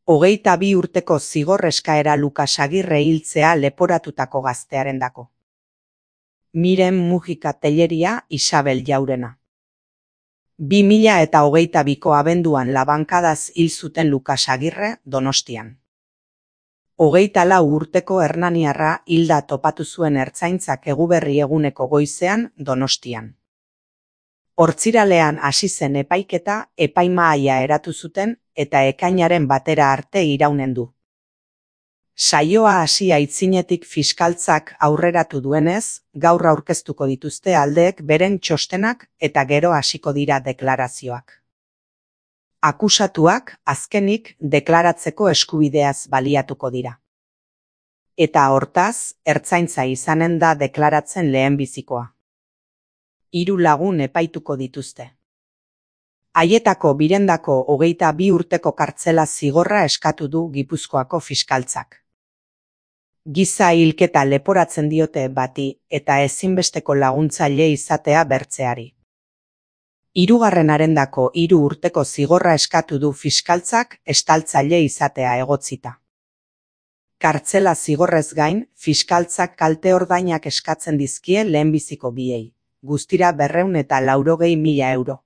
22 urteko zigor eskaera Lukas Agirre hiltzea leporatutako gaztearendako. Miren Mujika Telleria Isabel Jaurena. 2022ko abenduan labankadaz hil zuten Lukas Agirre Donostian. 24 urteko hernaniarra hilda topatu zuen ertzaintzak Eguberri eguneko goizean Donostian. Hortziralean hasi zen epaiketa, epaimahaia eratu zuten eta ekainaren batera arte iraunen du. Saioa hasi aitzinetik fiskaltzak aurreratu duenez, gaur aurkeztuko dituzte aldeek beren txostenak eta gero hasiko dira deklarazioak. Akusatuak azkenik deklaratzeko eskubideaz baliatuko dira. Eta hortaz, ertzaintza izanen da deklaratzen lehenbizikoa. 3 lagun epaituko dituzte. Haietako birendako 22 urteko kartzela zigorra eskatu du Gipuzkoako fiskaltzak. Giza hilketa leporatzen diote bati eta ezinbesteko laguntzaile izatea bertzeari. 3. 3 urteko zigorra eskatu du fiskaltzak estaltzaile izatea egotzita. Kartzela zigorrez gain, fiskaltzak kalte ordainak eskatzen dizkie lehenbiziko biei. Guztira 280.000 euro.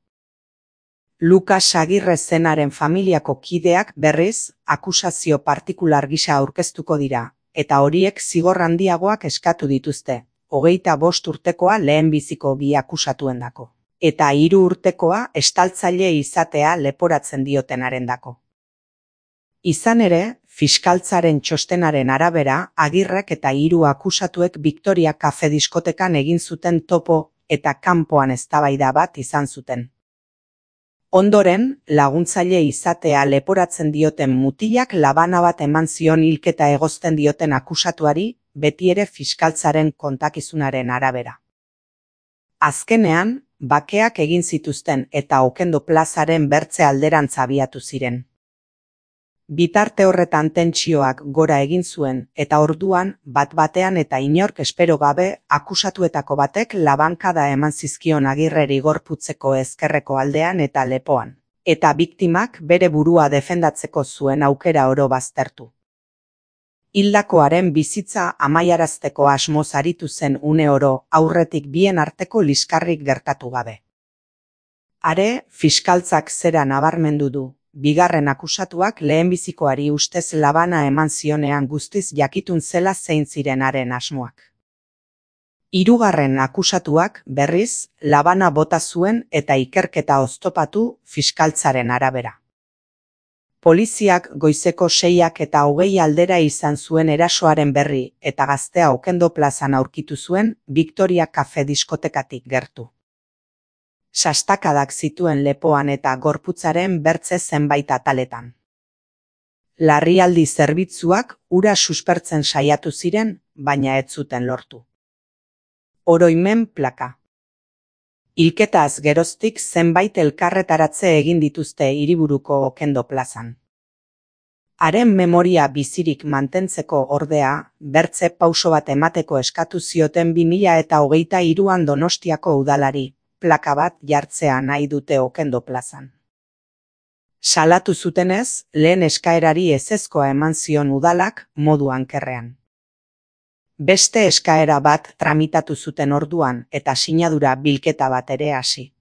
Lukas Agirre zenaren familiako kideak berriz, akusazio partikular gisa aurkeztuko dira, eta horiek zigor handiagoak eskatu dituzte, 25 urtekoa lehenbiziko bi akusatuendako, eta 3 urtekoa estaltzaile izatea leporatzen diotenarendako. Izan ere, fiskaltzaren txostenaren arabera, Agirrek eta 3 akusatuek Victoria Cafe diskotekan egin zuten topo eta kanpoan eztabaida bat izan zuten. Ondoren, laguntzaile izatea leporatzen dioten mutilak labana bat eman zion hilketa egozten dioten akusatuari, betiere fiskaltzaren kontakizunaren arabera. Azkenean, bakeak egin zituzten eta Okendo plazaren bertze alderantz abiatu ziren. Bitarte horretan tentsioak gora egin zuen eta orduan bat-batean eta inork espero gabe akusatuetako batek labankada eman zizkion Agirreri gorputzeko ezkerreko aldean eta lepoan, eta biktimak bere burua defendatzeko zuen aukera oro baztertu. Hildakoaren bizitza amaiarazteko asmoz aritu zen une oro aurretik bien arteko liskarrik gertatu gabe. Are, fiskaltzak zera nabarmendu du. Bigarren akusatuak lehenbizikoari ustez labana eman zionean guztiz jakitun zela zein ziren haren asmoak. 3. akusatuak, berriz, labana bota zuen eta ikerketa oztopatu fiskaltzaren arabera. Poliziak goizeko 6 eta 20 aldera izan zuen erasoaren berri eta gaztea Okendo plazan aurkitu zuen Victoria Cafe diskotekatik gertu. Sastakadak zituen lepoan eta gorputzaren bertze zenbait ataletan. Larrialdi zerbitzuak ura suspertzen saiatu ziren, baina ez zuten lortu. Oroimen plaka. Hilketaz geroztik zenbait elkarretaratze egin dituzte hiriburuko Okendo plazan. Haren memoria bizirik mantentzeko ordea, bertze pauso bat emateko eskatu zioten 2023an Donostiako udalari. Plaka bat jartzea nahi dute Okendo plazan. Salatu zutenez, lehen eskaerari ezezkoa eman zion udalak modu ankerrean. Beste eskaera bat tramitatu zuten orduan eta sinadura bilketa bat ere hasi.